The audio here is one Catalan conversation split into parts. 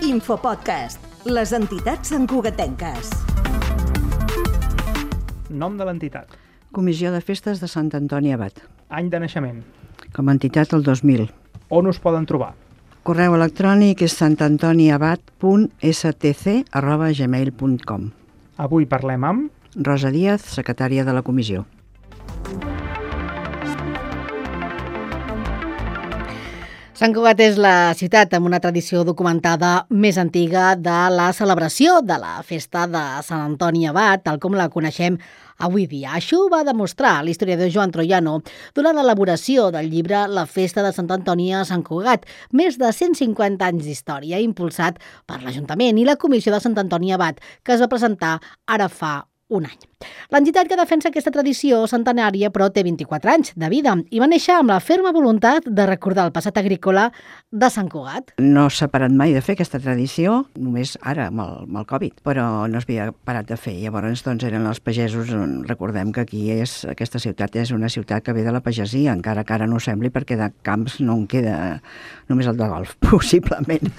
Infopodcast, les entitats santcugatenques. Nom de l'entitat. Comissió de Festes de Sant Antoni Abat. Any de naixement. Com a entitat el 2000. On us poden trobar? Correu electrònic és santantoniabat.stc@gmail.com. Avui parlem amb... Rosa Díaz, secretària de la comissió. Sant Cugat és la ciutat amb una tradició documentada més antiga de la celebració de la festa de Sant Antoni Abat, tal com la coneixem avui dia. Això ho va demostrar l'historiador Joan Troiano durant l'elaboració del llibre La festa de Sant Antoni a Sant Cugat, més de 150 anys d'història, impulsat per l'Ajuntament i la Comissió de Sant Antoni Abat, que es va presentar ara fa un any. L'entitat que defensa aquesta tradició centenària, però té 24 anys de vida i va néixer amb la ferma voluntat de recordar el passat agrícola de Sant Cugat. No s'ha parat mai de fer aquesta tradició, només ara amb el Covid, però no s'havia parat de fer. Llavors, doncs, eren els pagesos. Recordem que aquesta ciutat és una ciutat que ve de la pagesia, encara que ara no ho sembli, perquè de camps no en queda només el de golf, possiblement.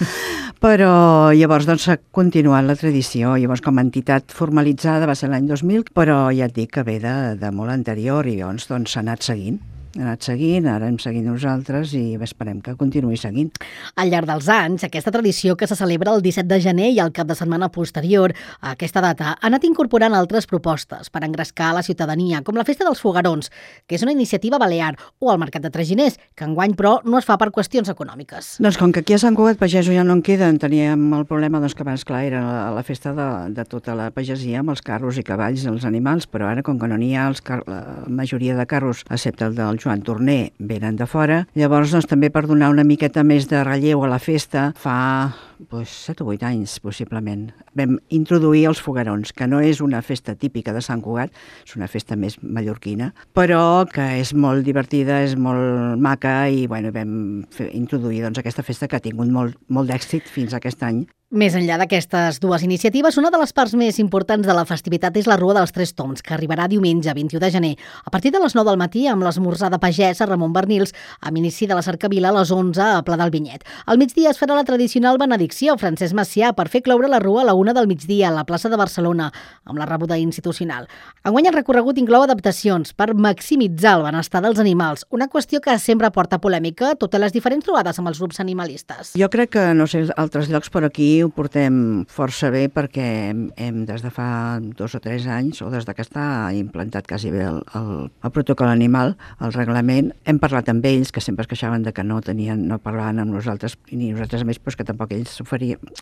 Però llavors doncs, s'ha continuat la tradició. Llavors, com a entitat formalitzada va ser l'any 2000, però ja et dic que ve de molt anterior i llavors doncs, s'ha anat seguint. Ara hem seguit nosaltres i esperem que continuï seguint. Al llarg dels anys, aquesta tradició que se celebra el 17 de gener i el cap de setmana posterior a aquesta data ha anat incorporant altres propostes per engrescar la ciutadania, com la Festa dels Foguerons, que és una iniciativa balear, o el Mercat de Traginers, que enguany, però, no es fa per qüestions econòmiques. Doncs com que aquí a Sant Cugat pagesos ja no en queden, teníem el problema doncs, que abans, clar, era la festa de tota la pagesia amb els carros i cavalls, els animals, però ara, com que no n'hi ha, la majoria de carros, excepte el del Joan Torner, venen de fora. Llavors, doncs, també per donar una miqueta més de relleu a la festa, fa 7 o 8 anys, possiblement, vam introduir els foguerons, que no és una festa típica de Sant Cugat, és una festa més mallorquina, però que és molt divertida, és molt maca i bueno, vam introduir doncs, aquesta festa que ha tingut molt d'èxit fins a aquest any. Més enllà d'aquestes dues iniciatives, una de les parts més importants de la festivitat és la Rua dels Tres Tombs, que arribarà diumenge 21 de gener, a partir de les 9 del matí amb l'esmorzar de pagès a Ramon Bernils, amb inici de la cercavila a les 11 a Pla del Vinyet. Al migdia es farà la tradicional benedicció Francesc Macià per fer cloure la Rua a la 1 del migdia a la plaça de Barcelona, amb la rebuda institucional. Enguany el recorregut inclou adaptacions per maximitzar el benestar dels animals, una qüestió que sempre porta polèmica, totes les diferents trobades amb els grups animalistes. Jo crec que, no sé, altres llocs, però aquí ho portem força bé perquè hem des de fa 2 o 3 anys, o des que està implantat quasi bé el protocol animal, el reglament, hem parlat amb ells, que sempre es queixaven de que no parlaven amb nosaltres, i nosaltres a més que tampoc ells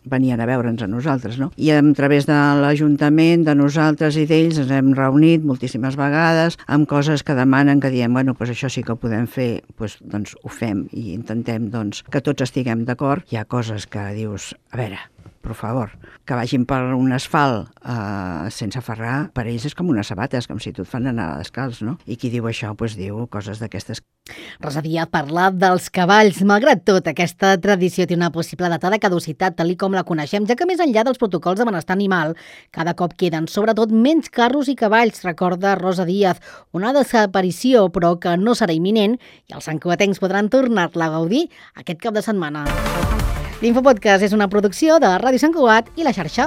venien a veure'ns a nosaltres, no? I a través de l'Ajuntament, de nosaltres i d'ells, ens hem reunit moltíssimes vegades amb coses que demanen, que diem, bueno, doncs això sí que ho podem fer, doncs ho fem i intentem doncs, que tots estiguem d'acord. Hi ha coses que dius, a veure, per favor, que vagin per un asfalt sense ferrar, per ells és com unes sabates, com si tu et fan anar descalç, no? I qui diu això, doncs diu coses d'aquestes. Rosa Díaz parla dels cavalls. Malgrat tot, aquesta tradició té una possible data de caducitat, tal com la coneixem, ja que més enllà dels protocols de benestar animal, cada cop queden, sobretot, menys carros i cavalls, recorda Rosa Díaz. Una desaparició, però que no serà imminent, i els santcugatencs podran tornar-la a gaudir aquest cap de setmana. L'Infopodcast és una producció de Ràdio Sant Cugat i La Xarxa.